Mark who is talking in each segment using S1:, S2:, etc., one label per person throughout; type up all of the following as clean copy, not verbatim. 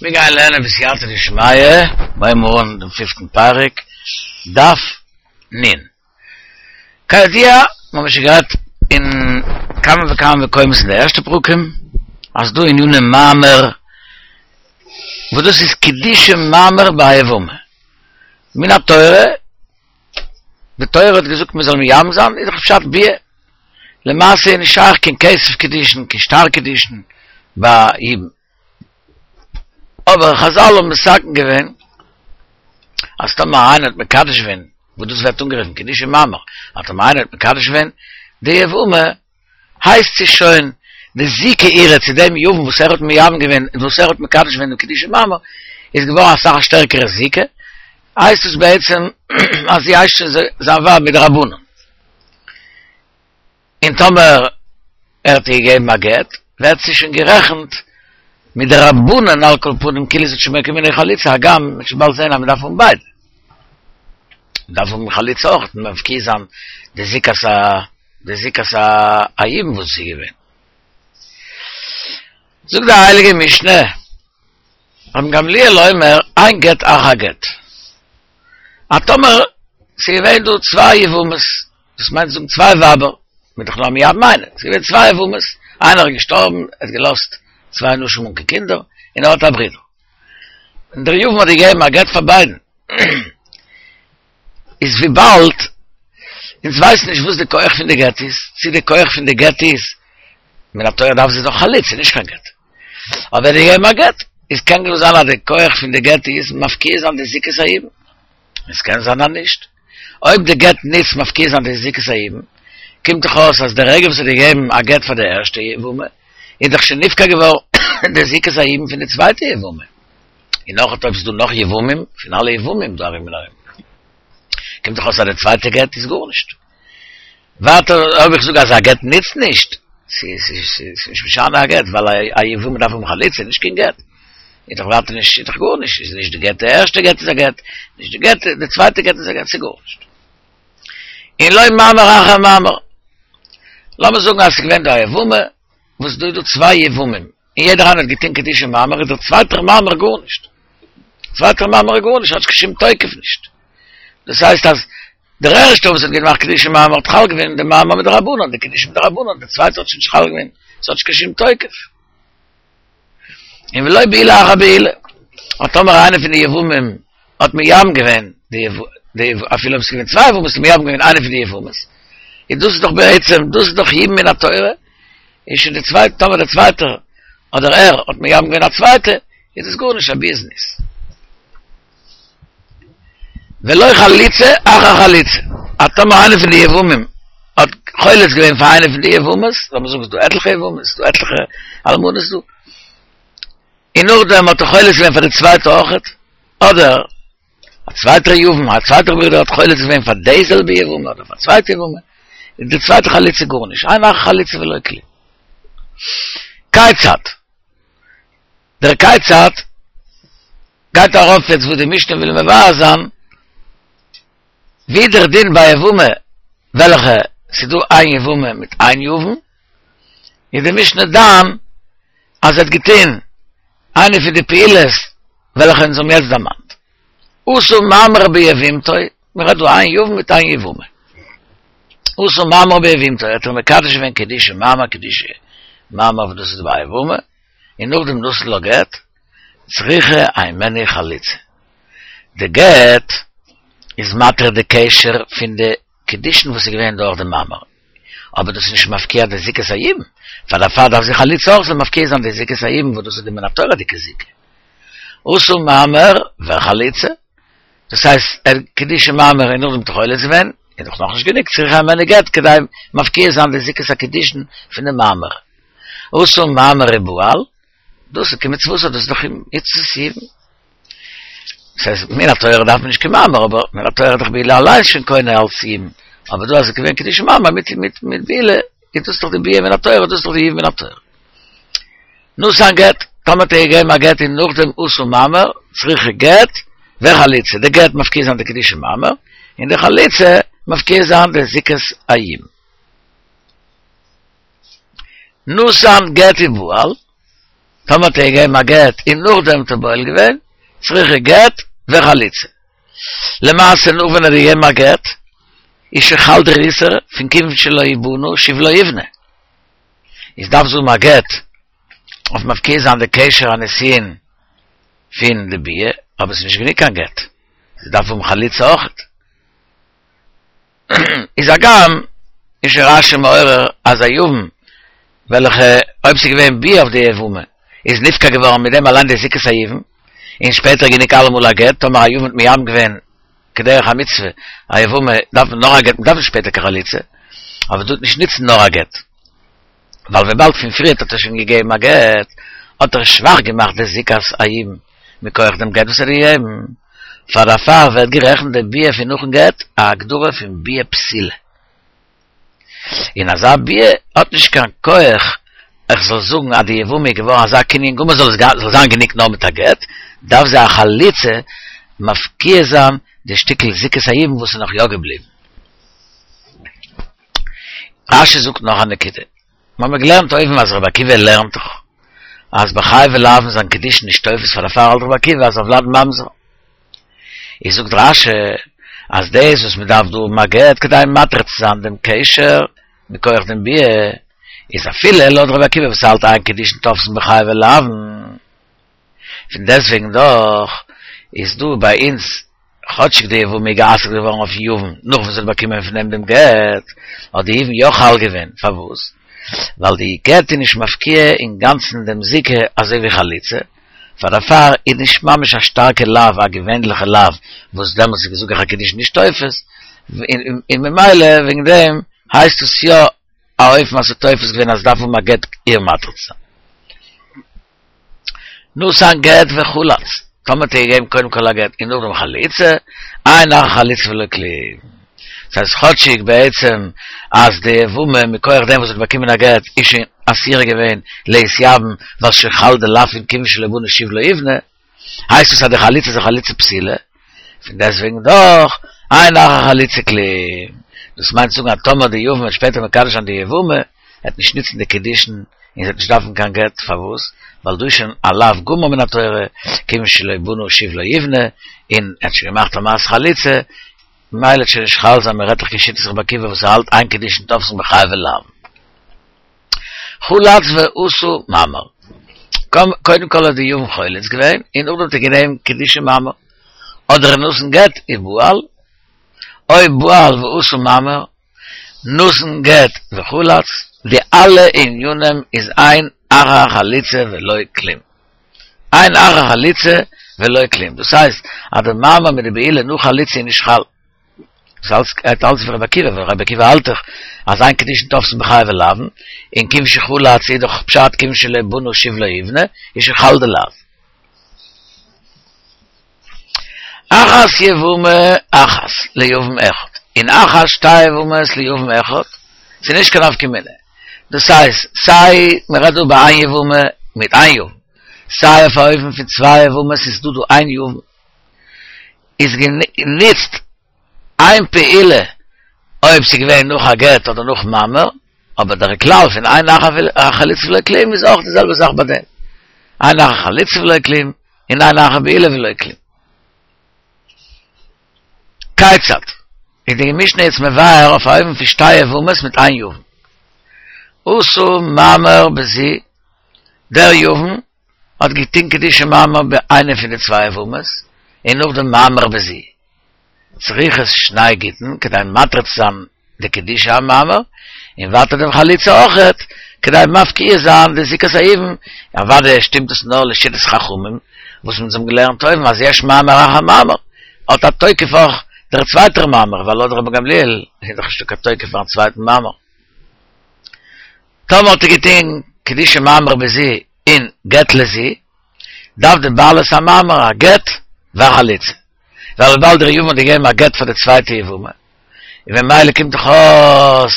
S1: מיר גייען לערנען בסייעתא דשמיא, הייבן מיר אן דעם פיפטן פרק, דף נ. כידוע, מיר האבן שוין גערעדט אין כמה וכמה מקומות אין די ערשטע פרקים, אז דא עניני מאמר, וואס דאס איז קידושי מאמר ביי יבמה. מן התורה, די תורה האט געזאגט מען זאל מייבם זיין, איז דאך פשט ביאה. למעשה איז נישט שייך קיין כתב קידושין, קיין שטר קידושין ביי יבום. אבער חזל האבן מתקן געווען אז טאמער איינער האט מקדש געווען, וואס דאס ווערט אנגערופן קידושי מאמר, אז טאמער איינער האט מקדש געווען די יבמה, הייסט זי שוין די זיקה אירע צו דעם יבם וואס ער האט מייבם געווען און וואס ער האט מקדש געווען דעם קידושי מאמר, איז געווארן אסאך א שטערקערע זיקה, הייסט עס בעצם אז זי הייסט שוין זיין ווייב מדרבנן. און טאמער ער האט איר געגעבן א גט, ווערט זי שוין גערעכנט מדרבנן על כל פנים כאילו זי האט שוין באקומען איר חליצה, הגם מ'וועט שוין באלד זען אז מ'דארף האבן ביידע. מ'דארף האבן חליצה אויך, מפקיע זיין די זיקת ה די זיקת היבום וואס איז געווען. זאגט די הייליגע משנה, רבן גמליאל אומר, אין גט אחר גט. אז טאמער ס'איז געווען דא צוויי יבמות, דאס מיינט זאגן צוויי ווייבער, מ'איז דאך נאר מייבם איינע, ס'איז געווען צוויי יבמות, איינער איז געשטארבן, ער האט געלאזט צוויי נשים אן קיין קינדער, און ער האט א ברודער. און דער יבם האט געגעבן א גט פאר ביידן. איז וויבאלד אונז ווייסן נישט וואס די כח פון די גט איז, צו די כח פון די גט איז, מן התורה דארף זי דאך חליצה, נישט קיין גט. אבער ער האט געגעבן א גט, איז קען גאר זיין אז די כח פון די גט איז מפקיע זיין די זיקת היבום. עס קען זיין אז נישט. אויב די גט נוצט מפקיע זיין די זיקת היבום, קומט דאך אויס אז די רגע וואס ער האט געגעבן א גט פאר די ערשטע יבמה, איז דאך שוין נפקע געווארן די זיקת היבום פון די צווייטע יבמה. און נאך אויב ס'איז דא נאך יבמים, פון אלע יבמים דא ארום און ארום, קומט דאך אויס אז די צווייטע גט איז גארנישט. ווייטער אויב איך זאג אז א גט נוצט נישט, ס'איז נישט משנה א גט, ווייל א יבמה דארף האבן חליצה, נישט קיין גט. איז דאך ווייטער נישט, איז דאך גארנישט, איז נישט די גט די ערשטע גט איז א גט, נישט די גט די צווייטע גט איז א גט, ס'איז גארנישט. און לא מאמר אחר מאמר. לאמיר זאגן אז ס'איז געווען דא א יבמה, וואס דא איז דא צוויי יבמים, און יעדער איינער האט געטון קידושי מאמר, איז דער צווייטער מאמר גארנישט. צווייטער מאמר איז גארנישט, האט נישט קיין שום תוקף נישט. דאס הייסט אז דער ערשטער וואס האט געמאכט קידושי מאמר האט חל געווען די מאמר מדרבנן, די קידושין מדרבנן, דער צווייטער האט שוין נישט חל געווען, עס האט נישט קיין שום תוקף. און ולא בעילה אחר בעילה, אז טאמער איינער פון די יבמים האט מייבם געווען די די אפילו אויב עס איז געווען צוויי יבמות האט מייבם געווען איינע פון די יבמות, איז דאס איז דאך בעצם דאס איז דאך יבום מן התורה, איז שוין די צווייטע טאמער דער צווייטער אדער ער האט מייבם געווען א צווייטע, איז דאס גארנישט א ביאת זנות. ולא חליצה אחר חליצה, אז טאמער איינער פון די יבמים האט חולץ געווען פאר איינע פון די יבמות, לאמיר זאגן ס'איז דא עטליכע יבמות, ס'איז דא עטליכע אלמנות דא, און נאכדעם האט ער חולץ געווען פאר די צווייטע אויכעט, אדער א צווייטער יבם, א צווייטער ברודער האט חולץ געווען פאר די זעלבע יבמה אדער פאר א צווייטע יבמה, איז די צווייטע חליצה גארנישט, אין אחר חליצה ולא כלום. כיצד? דער כיצד גייט ארויף יעצט וואס די משנה וויל מבאר זיין, ווי דער דין ביי יבמה וועלכע ס'איז דא איין יבמה מיט איין יבם, איז די משנה דן אז ער האט געטון איינע פון די פעולות וועלכע אונז האבן יעצט דערמאנט. עשה מאמר ביבמתו, מען רעדט דא איין יבם מיט איין יבמה. עשה מאמר ביבמתו, האט ער מקדש געווען קידושי מאמר קידושי מאמר וואס דאס איז ביי א יבמה, און נאכדעם נתן לה גט, צריכה הימנו חליצה. די גט איז מתיר די קשר פון די קידושין וואס איז געווען דורך די מאמר, אבער דאס איז נישט מפקיע די זיקת היבום, פאר דערפאר דארף זי חליצה אויך זאל מפקיע זיין די זיקת היבום וואס דאס איז די מן התורה'דיגע זיקה. עשה מאמר וחליצה, דאס הייסט ער קידושי מאמר און נאכדעם האט ער חולץ געווען, איז דאך נאכנישט גענוג צריכה הימנו גט כדי מפקיע זיין די זיקת הקידושין פון די מאמר. עשה מאמר ובעל, דאס איז כמצוותו, דאס איז דאך מצות יבום. דאס הייסט, מן התורה דארף מען נישט קיין מאמר, אבער מן התורה איז דאך בעילה אליינס שוין קונה אלס יבום. אבער דא אז עס איז געווען קידושי מאמר מיט מיט מיט בעילה, איז דאס דאך די ביאה מן התורה, דאס איז דאך די יבום מן התורה. נתן גט, טאמער האט ער געגעבן א גט און נאכדעם עשה מאמר, צריכה גט וחליצה, די גט מפקיע זיין די קידושי מאמר, און די חליצה מפקיע זיין די זיקת היבום. נתן גט ובעל. טאמער האט ער געגעבן א גט און נאכדעם האט ער בועל געווען, צריכה גט וחליצה. למעשה נאך ווען ער האט געגעבן א גט, איז שוין חל דער איסור פון כיוון שלא בנה שוב לא יבנה. איז דארף זי האבן א גט אויף מפקיע זיין די קשר הנישואין פון די ביאה, אבער ס'איז נישט גענוג קיין גט, זי דארף האבן חליצה אויכעט. איז הגם איז שוין רשי מעורר אז א יבם וועלכע אויב ס'איז געווען ביאה אויף די יבמה איז נפקע געווארן מיט דעם אליין די זיקת היבום און שפעטער גענוג אלעמאל א גט, טאמער א יבם האט מייבם געווען כדרך המצוה א יבמה דארף מען נאר א גט מ'דארף נישט שפעטער קיין חליצה, אבער דא וועט נישט נוצן נאר א גט ווייל וויבאלד פון פריערט האט ער שוין געגעבן א גט האט ער שוואך געמאכט די זיקת היבום מכח דעם גט וואס ער האט געגעבן. פאר דערפאר ווערט גערעכנט די ביאה פון נאכן גט א הגדרה פון ביאה פסולה. און אזא ביאה האט נישט קיין כח איך זאל זאגן אז די יבמה איז געווארן אזא קנין גמור זאל עס זאל זיין גענוג נאר מיט א גט, דארף זי א חליצה מפקיע זיין די שטיקל זיקת היבום וואס איז נאך יא געבליבן. רשי זאגט נאך א נקודה. מיר האבן געלערנט אויבן אז רבי עקיבא לערנט דאך אז בחייבי לאוין זיינען קידושין נישט תופס פאר דערפאר האלט רבי עקיבא אז הולד ממזר. איז זאגט רשי אז דאס וואס מען דארף דא האבן א גט כדי מתיר צו זיין דעם קשר מכח דעם ביאה איז אפילו לויט רבי עקיבא וואס האלט אין קידושין תופסין בחייבי לאוין פון דעסטוועגן דאך איז דא ביי אונז כאטשיג די יבמה איז גע'אסר'ט געווארן אויפן יבם נאך וואס זי האט באקומען פון אים דעם גט, האט די יבום יא חל געווען, פארוואס? ווייל די גט איז נישט מפקיע אינגאנצן דעם זיקה אזוי ווי חליצה, פאר דערפאר איז נישט ממש א שטארקע לאו א געווענליכע לאו וואס דעמאלטס איז געזאגט אז קידושין נישט תופס, און ממילא וועגן דעם הייסט עס יא א אופן אז ס'איז תופס געווען אז דארף האבן א גט איר מתיר צו זיין. נתן גט וחלץ, טאמער האט ער געגעבן קודם כל א גט און נאכדעם חליצה, אין אחר חליצה ולא כלום. דאס הייסט כאטשיג בעצם אז די יבמה מכח דעם וואס האט באקומען א גט איז שוין אסורה געווען להתייבם ווייל שוין חל די לאו פון כיוון שלא בנה שוב לא יבנה, הייסט עס אז די חליצה איז א חליצה פסולה, פון דעסטוועגן דאך, אין אחר חליצה כלום. דאס מיינט צו זאגן אז טאמער די יבם וועט שפעטער מקדש זיין די יבמה, וועט נישט נוצן די קידושין און זי וועט נישט דארפן קיין גט, פארוואס? ווייל דא איז שוין א לאו גמור מן התורה, כיוון שלא בנה שוב לא יבנה, און ער האט שוין געמאכט א מעשה חליצה, ממילא וועט שוין נישט חל זיין, מען רעדט דאך כשיטת רבי עקיבא וואס ער האלט אין קידושין תופסין בחייבי לאוין. חלץ ועשה מאמר. קודם כל האט די יבם חולץ געווען, און נאכדעם האט ער גענומען קידושי מאמר. אדער נתן גט ובעל, או בעל ועשה מאמר, נתן גט וחלץ, די אלע ענינים איז אין אחר חליצה ולא כלום. אין אחר חליצה ולא כלום. דאס הייסט אז די מאמר מיט די בעילה נאך חליצה איז נישט חל. דאס אלץ גייט אלץ ווי רבי עקיבא, ווייל רבי עקיבא האלט דאך אז אין קידושין תופסין בחייבי לאוין, און כיוון שחלץ איז דאך פשט כיוון שלא בנה שוב לא יבנה, איז שוין חל די לאו. אחת יבמה אחת ליבם אחד, און אחת שתי יבמות ליבם אחד, ס'איז נישט קיין נפקא מינה, דאס הייסט סיי מ'רעדט דא ביי איין יבמה מיט איין יבם, סיי אויף א אופן פון צוויי יבמות איז דא דא איין יבם, איז גענוצט איין פעולה אויב ס'איז געווען נאך א גט אדער נאך מאמר, אבער דער כלל פון אין אחר חליצה ולא כלום איז אויך די זעלבע זאך ביי דעם, אין אחר חליצה ולא כלום און אין אחר בעילה ולא כלום. כיצד? איז די משנה יעצט מבאר אויף א אופן פון שתי יבמות מיט איין יבם. עשה מאמר בזו, דער יבם האט געטון קידושי מאמר ביי איינע פון די צוויי יבמות, און נאכדעם מאמר בזו. צריכות שני גיטין כדי מתיר צו זיין די קידושי המאמר, און ווייטער דעם חליצה אויכעט, כדי מפקיע זיין די זיקת היבום, אוודאי שטימט עס נאר לשיטת חכמים, וואס אונז האבן געלערנט אויבן אז יש מאמר אחר מאמר, האט א תוקף אויך דער צווייטער מאמר, ווייל לויט רבן גמליאל איז דאך נישטא קיין תוקף פארן צווייטן מאמר. טאמער האט ער געטון קידושי מאמר בזו און גט לזו, דארף די בעלת המאמר א גט והחליצה, ווייל וויבאלד דער יבם האט געגעבן א גט פאר די צווייטע יבמה, און ממילא קומט דאך אויס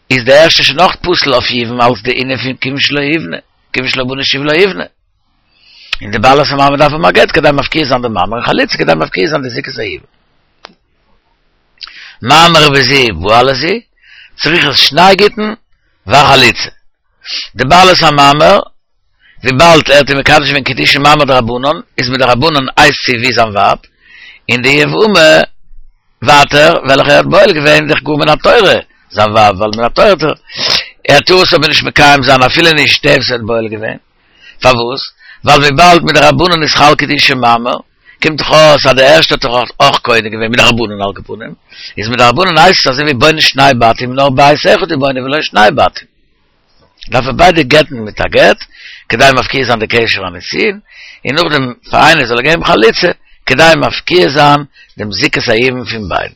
S1: איז די ערשטע שוין אויך פסול אויף יבום אלס די ענין פון כיוון שלא יבנה, כיוון שלא בנה שוב לא יבנה. און די בעלת המאמר דארף האבן א גט כדי מפקיע זיין די מאמר און חליצה כדי מפקיע זיין די זיקת היבום. מאמר בזו ובעל לזו, צריכות שני גיטין והחליצה. די בעלת המאמר. וויבאלד ער האט איר מקדש געווען קידושי מאמר דרבנן, איז מדרבנן הייסט זי ווי זיין ווייב, און די יבמה ווייטער וועלכע ער האט בועל געווען איז דאך גאר מן התורה זיין ווייב, ווייל מן התורה האט ער ער טאר עס אבער נישט מקיים זיין אפילו נישט דער וואס ער האט בועל געווען, פארוואס? ווייל וויבאלד מדרבנן איז חל קידושי מאמר, קומט דאך אויס אז די ערשטע האט דאך אויך קונה געווען מדרבנן על כל פנים, איז מדרבנן הייסט עס אזוי ווי בונה שני בתים נאר בית אחד הוא בונה ולא שני בתים. דארף ער ביידע גט'ן מיט א גט, כדי מפקיע זיין די קשר הנישואין, און נאכדעם פאר איינער זאל ער געבן חליצה, כדי מפקיע זיין דעם זיקת היבום פון ביידן.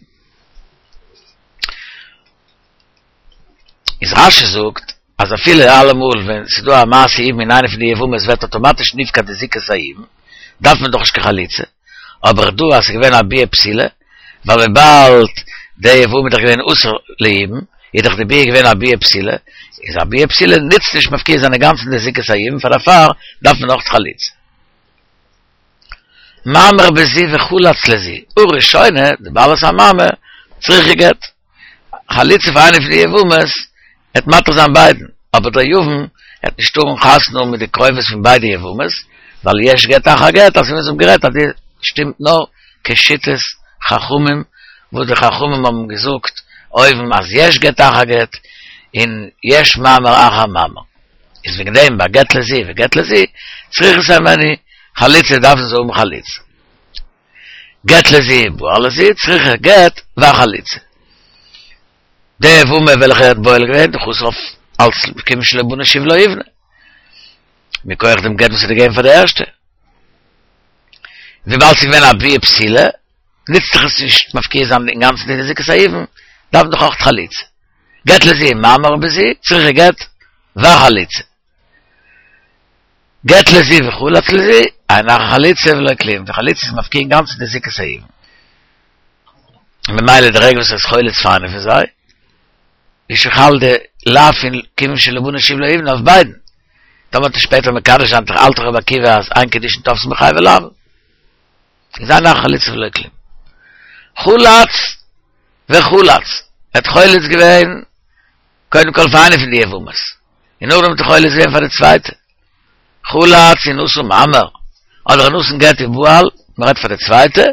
S1: איז רש"י זאגט אז אפילו אלעמאל ווען ס'איז דא א מעשה יבום אין איינע פון די יבמות ווערט אטאמאטיש נפקע די זיקת היבום, דארף מען דאך נישט קיין חליצה, אבער דא אז ס'איז געווען א ביאה פסולה, ווייל וויבאלד די יבמה איז דאך געווען אסור ליבום, איז דאך די ביאה געווען א ביאה פסולה, איז א ביאה פסולה נוצט נישט מפקיע זיין אינגאנצן די זיקת היבום, פאר דערפאר דארף מען אויך חליצה. מאמר בזו וחלץ לזו, הראשונה, די בעלת המאמר, צריכה גט. חליצה פאר איינע פון די יבמות, וועט מתיר זיין ביידן, אבער דער יבם וועט נישט טארן חתונה האבן מיט די קרובות פון ביידע יבמות, ווייל יש גט אחר גט, אזוי ווי אונז האבן גערעדט אז די שטימט נאר כשיטת חכמים, וואס די חכמים האבן געזאגט אויבן אז יש גט אחר גט, און יש מאמר אחר מאמר. איז וועגן דעם ביי גט לזו וגט לזו צריכות הימנו חליצה דארפן זיי האבן חליצה. גט לזו ובעל לזו צריכה גט וחליצה. די יבמה וועלכע ער האט בועל געווען דאך אסור אויף אלץ כיוון שלא בנה שוב לא יבנה. מכח דעם גט וואס ער האט געגעבן פאר די ערשטע. וויבאלד ס'איז געווען א ביאה פסולה, נוצט זיך עס נישט מפקיע זיין אינגאנצן די זיקת היבום, דארף מען דאך אויך חליצה. גט לזו מאמר בזו, צריכה גט וחליצה. גט לזו וחלץ לזו, אין אחר חליצה ולא כלום, די חליצה איז מפקיע אינגאנצן די זיקת היבום. ממילא די רגע וואס ער איז חולץ פאר איינע פון זיי, איז שוין חל די לאו פון כיוון שלא בנה שוב לא יבנה אויף ביידן. טאמער וועט ער שפעטער מקדש זיין האלט דאך רבי עקיבא אז אין קידושין תופסין בחייבי לאוין. איז אין אחר חליצה ולא כלום. חלץ וחלץ, ער האט חולץ געווען קודם כל פאר איינע פון די יבמות, און נאכדעם האט ער חולץ געווען פאר די צווייטע. חלץ ונתן מאמר, אדער נתן גט ובעל, מען רעדט פאר די צווייטע,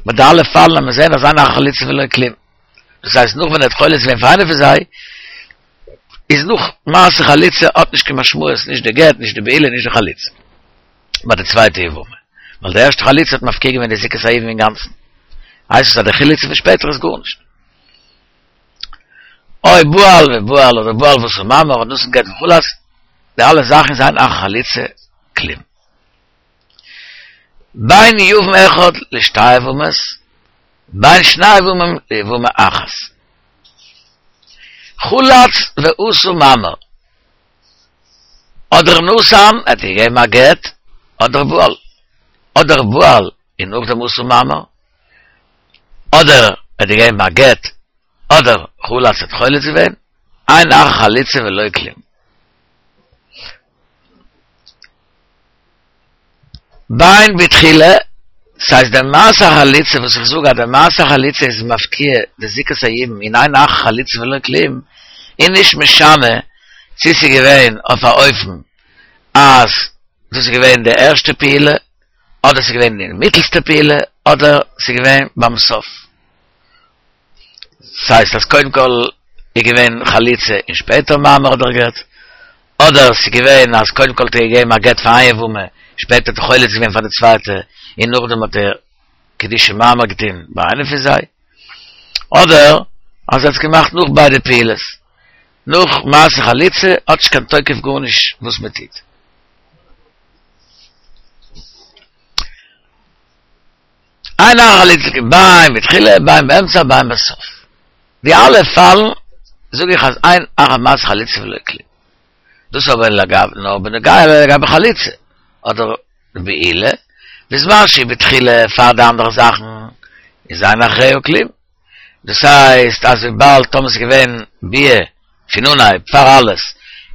S1: ביי די אלע פאלן וועט מען זען אז אין אחר חליצה ולא כלום. דאס הייסט נאך ווען ער האט חולץ געווען פאר איינע פון זיי, איז נאך מעשה חליצה האט נישט קיין משמעות נישט די גט נישט די בעילה נישט די חליצה. ביי די צווייטע יבמה, ווייל די ערשטע חליצה האט מפקיע געווען די זיקת היבום אינגאנצן, הייסט עס אז די חליצה פון שפעטער איז גארנישט. או בעל ובעל אדער בעל ועשה מאמר אדער נתן גט וחלץ, די אלע זאכן איז אין אחר חליצה כלום. בין יבם אחד לשתי יבמות, בין שני יבמים ליבמה אחת. חלץ ועשה מאמר, אדער נתן, ער האט געגעבן א גט, אדער בעל, אדער בעל און נאכדעם עשה מאמר, אדער ער האט געגעבן א גט, אדער חלץ האט חולץ געווען, אין אחר חליצה ולא כלום. בין בתחילה, ס'הייסט די מעשה החליצה וואס איך זאג אז די מעשה החליצה איז מפקיע די זיקת היבום און אין אחר חליצה ולא כלום, איז נישט משנה צו ס'איז געווען אויף א אופן אז דאס איז געווען די ערשטע פעולה אדער ס'איז געווען די מיטלסטע פעולה אדער ס'איז געווען ביים סוף. ס'הייסט אז קודם כל איז געווען חליצה און שפעטער מאמר אדער גט, אדער ס'איז געווען אז קודם כל האט ער געגעבן א גט פאר איין יבמה, שפעטער האט ער חולץ געווען פאר די צווייטע, און נאכדעם האט ער קידושי מאמר געטון ביי איינע פון זיי, אדער אז ער האט עס געמאכט נאך ביידע פעולות, נאך מעשה חליצה האט נישט קיין תוקף גארנישט וואס מען טוט. אין אחר חליצה בין בתחילה בין באמצע בין בסוף. די אלע פאלן זאג איך אז אין אחר מעשה חליצה ולא כלום. דאס אבער לגב נאר בנוגע לגבי חליצה אדער בעילה, בזמן שהיא בתחילה פאר די אנדערע זאכן איז אין אחריה כלום. דאס הייסט אז וויבאלד טאמער ס'איז געווען ביאה פון אנהייב פאר אלעס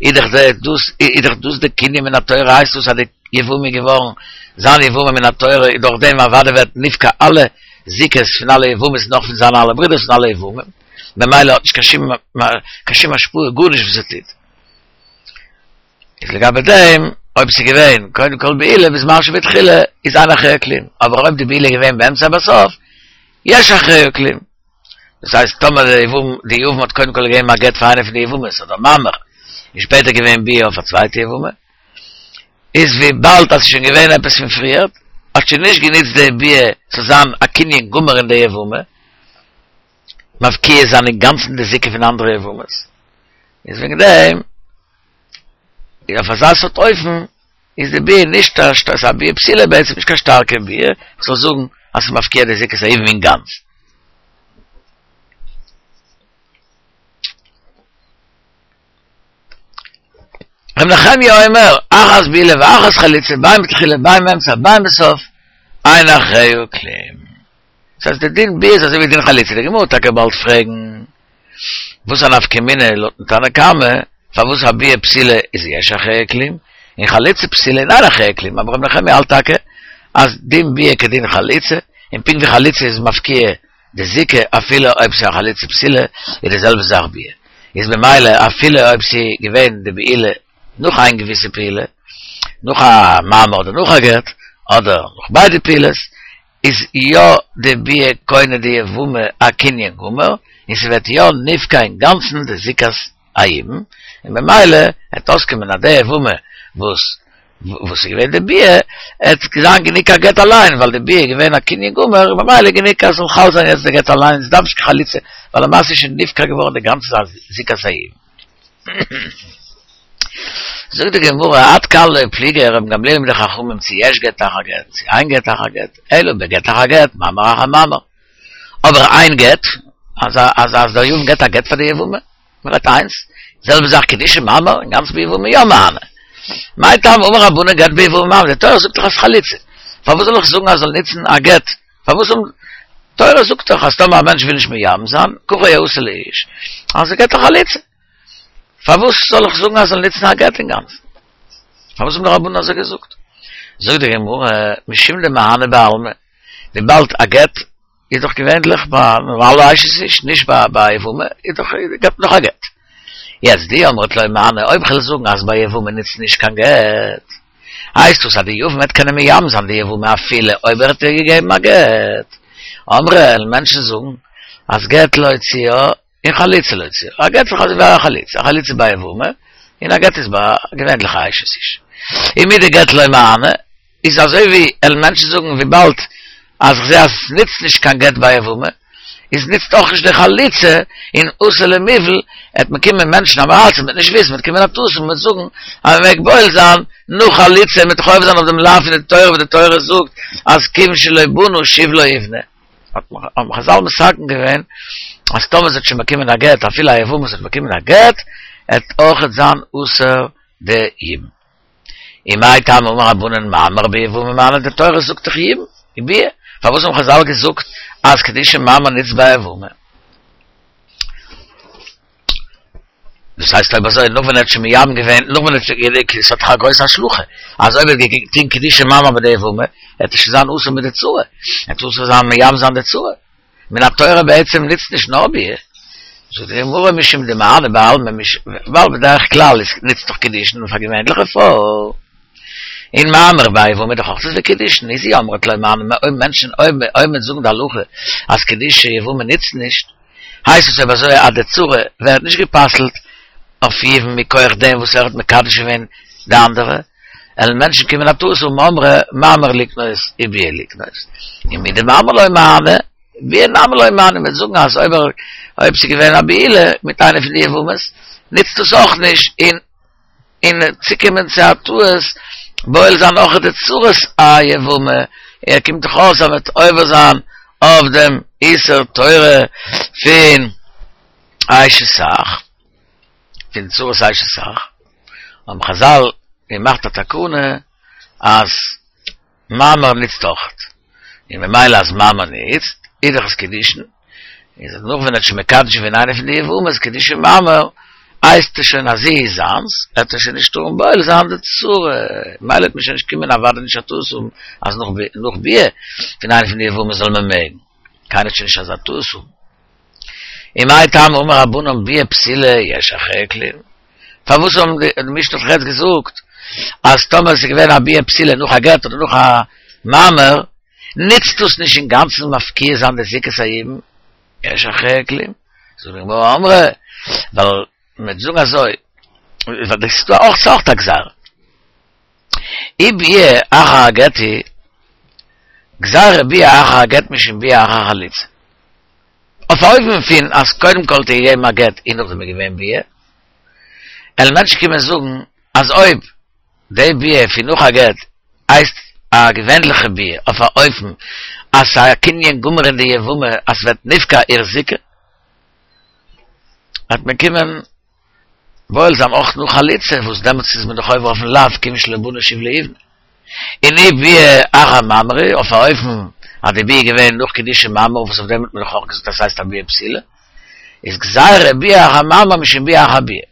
S1: איז דאך דאס איז דאך דאס די קנין מן התורה הייסט דאס אז די יבמה איז געווארן זיין יבמה מן התורה איז דורך דעם אוודאי ווערט נפקע אלע זיקות פון אלע יבמות נאך פון זיינע אלע ברידערס און אלע יבמים ממילא האט נישט קיין שום קיין שום השפעה גארנישט וואס ער טוט איז לגבי דעם. אויב ס'איז געווען קודם כל בעילה בזמן שבתחילה איז אין אחריה כלום, אבער אויב די בעילה איז געווען באמצע בסוף, יש אחריה כלום. דאס הייסט טאמער די יבם די יבם האט קודם כל געגעבן א גט פאר איינע פון די יבמות אדער מאמר, און שפעטער געווען ביאה אויף א צווייטע יבמה, איז וויבאלד אז ס'איז שוין געווען עפעס פון פריערט, האט שוין נישט גענוצט די ביאה צו זיין א קנין גמור אין די יבמה, מפקיע זיין אינגאנצן די זיקה פון אנדערע יבמות, איז וועגן דעם אויף אזא סארט אופן איז די ביאה נישט א ס'איז א ביאה פסולה בעצם נישט קיין שטארקע ביאה, איך זאל זאגן אז ס'איז מפקיע די זיקת היבום אינגאנצן. ר' נחמיה אומר, אחת בעילה ואחת חליצה, בין בתחילה בין באמצע בין בסוף, אין אחריה כלום. דאס הייסט די דין ביאה איז אזוי ווי דין חליצה, די גמרא וועט טאקע באלד פרעגן, וואס א נפקא מינה לויטן תנא קמא, פארוואס א ביאה פסולה איז יש אחריה כלום, און חליצה פסולה איז אין אחריה כלום, אבער ר' נחמיה האלט טאקע אז דין ביאה כדין חליצה, און פונקט ווי חליצה איז מפקיע די זיקה אפילו אויב ס'איז א חליצה פסולה, איז די זעלבע זאך ביאה, איז במילא אפילו אויב ס'איז געווען די בעילה נאך איין געוויסע פעולה, נאך א מאמר אדער נאך א גט, אדער נאך ביידע פעולות, איז יא די ביאה קונה די יבמה א קנין גמור, און ס'ווערט יא נפקע אינגאנצן די זיקת היבום, און במילא העט אויסקומען אז די יבמה וואס וואס איז געווען די ביאה, העט זיין גענוג א גט אליין, ווייל די ביאה איז געווען א קנין גמור, און במילא גענוג אז ס'זאל חל זיין יעצט די גט אליין, ס'דארף נישט קיין חליצה, ווייל למעשה איז שוין נפקע געווארן די גאנצע זיקת היבום. זאגט די גמרא, עד כאן לא פליגי רבן גמליאל מיט די חכמים צו יש גט אחר גט, צו אין גט אחר גט, אלא בגט אחר גט, מאמר אחר מאמר. אבער איין גט, אז אז אז דער יבם געט א גט פאר די יבמה, מען רעדט איינס, זעלבע זאך קידושי מאמר, אינגאנצן ביבמה יא מהני. מאי טעמא אמור רבנן גט ביבמה מהני, די תורה זאגט דאך אז חליצה, פארוואס זאל איך זאגן אז זאל נוצן א גט פארוואס האבן תורה זאגט דאך אז טאמער א מענטש וויל נישט מייבם זיין, ככה יעשה לאיש, אז ער געט א חליצה. פארוואס זאל איך זאגן אז זאל נוצן א גט אינגאנצן? פארוואס האבן די רבנן אזוי געזאגט? זאגט די גמרא, משום דמהני בעלמא, וויבאלד א גט איז דאך געווענליך ביי נארמאלע אשת איש, נישט ביי יבמה, איז דאך געבט מען דאך א גט. יעצט דאי אמרת לא מהני, אויב כ'וועל זאגן אז ביי יבמה נוצט נישט קיין גט, הייסט דאס אז די יבם וועט קענען מייבם זיין די יבמה אפילו אויב ער האט איר געגעבן א גט? אמרי וועלן מענטשן זאגן אז גט להוציאה און חליצה להוציאה, א גט איז אזוי ווי א חליצה, א חליצה ביי יבמה און א גט איז ביי א געווענליכע אשת איש. און מדגט לא מהני איז אזוי ווי וועלן מענטשן זאגן וויבאלד אז כ'זע אז עס נוצט נישט קיין גט ביי יבמה, איז נוצט אויך נישט די חליצה און אתי למיבעל, עט מען קומען מענטשן עם הארצים מ'וועט נישט וויסן, מ'וועט קומען א טעות און מ'וועט זאגן אז מ'מעג בועל זיין נאך חליצה און מ'וועט דאך עובר זיין אויף דעם לאו פון די תורה וואס די תורה זאגט אז כיוון שלא בנה שוב לא יבנה. האבן חזל מתקן געווען אז טאמער זי האט שוין באקומען א גט אפילו א יבמה וואס האט באקומען א גט עט אויכעט זיין אסור די יבום. ומאי טעמא אמור רבנן מאמר ביבמה מהני די תורה זאגט דאך יבום וביאה פארוואס האבן חזל געזאגט אז קידושי מאמר נוצט ביי יבמה? דאס הייסט אויב אזוי נאך ווען ער האט שוין מייבם געווען נאך ווען ער האט שוין גענוג עס האט דאך א גרויסע השלכה אז אויב ער האט געטון קידושי מאמר ביי די יבמה וועט ער שוין זיין אסור מיט די צרה ער וועט אסור זיין מייבם זיין די צרה מן התורה בעצם נוצט נישט נאר ביאה, זאגט די גמרא משום דמהני בעלמא, ווייל בדרך כלל איז נוצט דאך קידושין פאר געווענליכע פרוי, און מאמר ביי יבמה איז דאך אויך אזוי קידושין, איז אי אמרת לא מהני, אויב מענטשן אויב אויב מען זאגן די הלכה אז קידושי יבמה נוצט נישט, הייסט עס אויב אזוי אז די צרה ווערט נישט גע'פסל'ט אויף יבום מכח דעם וואס ער האט מקדש געווען די אנדערע, וועלן מענטשן קומען א טעות האבן אמרי מאמר לקנות וביאה לקנות, און מדמאמר לא מהני, ביאה נמי לא מהני, מ'וועט זאגן אז אויב ער אויב ס'איז געווען א בעילה מיט איינע פון די יבמות, נוצט דאס אויך נישט, און און צוקומען צו א טעות בועל זיין אויך די צרת היבמה, ער קומט דאך אויס אז מ'וועט עובר זיין אויף דעם איסור תורה פון אשת אח. פון צרת אשת אח, האבן חזל געמאכט א תקנה אז מאמר נוצט אויכעט, און ממילא אז מאמר נוצט, איז דאך עס קידושין, איז אז נאך ווען ער האט שוין מקדש געווען איינע פון די יבמות קידושי מאמר, הייסט עס שוין אז זי איז זיינס, וועט ער שוין נישט טארן בועל זיין די צרה, ממילא וועט מען שוין נישט קומען אוודאי נישט א טעות האבן אז נאך ביאה פון איינע פון די יבמות זאל מען מעגן, קיינער וועט שוין נישט אזא טעות האבן. ומאי טעמא אמור רבנן ביאה פסולה יש אחריה כלום? פארוואס האבן די משנה האט דאך יעצט געזאגט אז טאמער עס איז געווען א ביאה פסולה נאך א גט אדער נאך א מאמר, נוצט דאס נישט אינגאנצן מפקיע זיין די זיקת היבום, יש אחריה כלום, זאגט די גמרא אמרי, ווייל מ'וועט זאגן אזוי, ווייל דאס איז דא אויך ס'אויך א גזירה. אי ביאה אחר הגט היא, גזירה ביאה אחר הגט משום ביאה אחר חליצה. אויף א אופן פון אז קודם כל האט ער געגעבן א גט און נאכדעם איז געווען ביאה, וועלן מענטשן קומען זאגן אז אויב די ביאה פון נאך א גט הייסט א געווענליכע ביאה אויף א אופן אז ס'איז א קנין גמור אין די יבמה אז ס'ווערט נפקע איר זיקה, וועט מען קומען בועל זיין אויך נאך חליצה וואס דעמאלטס איז מען דאך עובר אויפן לאו כיון שלא בנה שוב לא יבנה. און אי ביאה אחר מאמר אויף א אופן אז די ביאה איז געווען נאך קידושי מאמר וואס אויף דעם האט מען דאך אויך געזאגט אז ס'הייסט א ביאה פסולה, איז גזירה ביאה אחר מאמר משום ביאה אחר ביאה.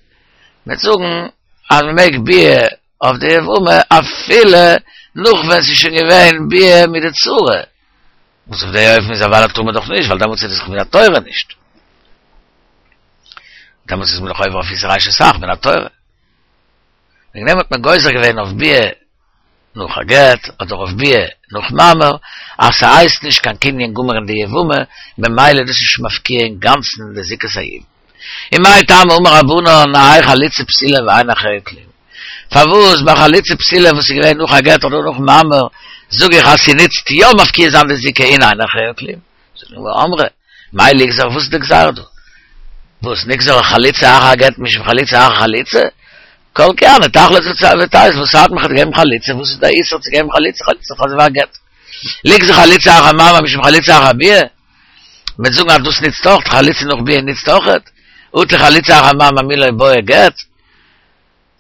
S1: מ'וועט זאגן אז מ'מעג ביאה אויף די יבמה אפילו נאך ווען ס'איז שוין געווען ביאה מיט די צרה, וואס אויף די אופן איז אוודאי טאר מען דאך נישט ווייל דעמאלטס איז עס דאך מן התורה נישט. דעמאלטס איז מען דאך עובר אויף איסור אשת אח מן התורה. וועגן דעם האט מען גוזר געווען אויף ביאה נאך א גט, אדער אויף ביאה נאך מאמר, אז ס'הייסט נישט קיין קנין גמור אין די יבמה, ממילא דאס איז נישט מפקיע אינגאנצן די זיקת היבום. ומאי טעמא אמור רבנן האי חליצה פסולה ואין אחריה כלום? פארוואס ביי חליצה פסולה וואס איז געווען נאך א גט אדער נאך מאמר זאג איך אז ס'נוצט יא מפקיע זיין די זיקה און אין אחריה כלום? זאגט די גמרא אמרי, מאי ליגזר וואס איז די גזירה דא? וואס נגזור חליצה אחר הגט משום חליצה אחר חליצה? כל כי הני תחלוץ ותיתי וואס ארט מיך האט געגעבן חליצה וואס איז די איסור צו געבן חליצה חליצה איז אזוי ווי א גט ליגזור חליצה אחר מאמר משום חליצה אחר ביאה מ'וועט זאגן אז דאס נוצט אויך חליצה נאך ביאה נוצט אויכעט אטו חליצה אחר מאמר מי לא בעי גט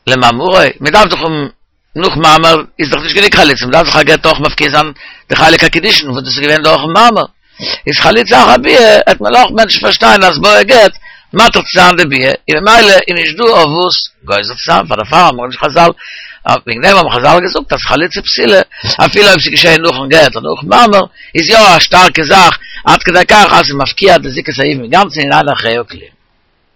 S1: למאמרו מ'דארף דאך האבן נאך מאמר איז דאך נישט גענוג חליצה, מ'דארף דאך א גט אויך מפקיע זיין די חלק הקידושין וואס דאס איז געווען דורכן מאמר, איז חליצה אחר ביאה העט מען אויך מענטשן פארשטיין אז בעי גט מתיר צו זיין די ביאה, און ממילא איז נישט דא אויף וואס גוזר צו זיין, פאר דערפאר האבן נישט חזל, וועגן דעם האבן חזל געזאגט אז חליצה פסולה אפילו אויב ס'איז געשעהן נאכן גט אדער נאכן מאמר איז יא א שטארקע זאך עד כדי כך אז ס'איז מפקיע די זיקת היבום אינגאנצן און אין אחריה כלום.